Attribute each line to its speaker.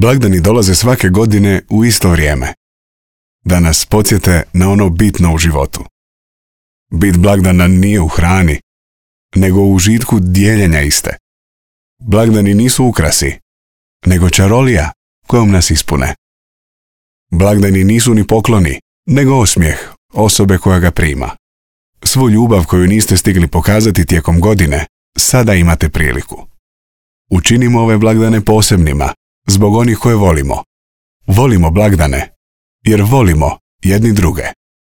Speaker 1: Blagdani dolaze svake godine u isto vrijeme, da nas podsjete na ono bitno u životu. Bit blagdana nije u hrani, nego u užitku dijeljenja iste. Blagdani nisu ukrasi, nego čarolija kojom nas ispune. Blagdani nisu ni pokloni, nego osmijeh osobe koja ga prima. Svu ljubav koju niste stigli pokazati tijekom godine, sada imate priliku. Učinimo ove blagdane posebnima, zbog onih koje volimo. Volimo blagdane, jer volimo jedni druge.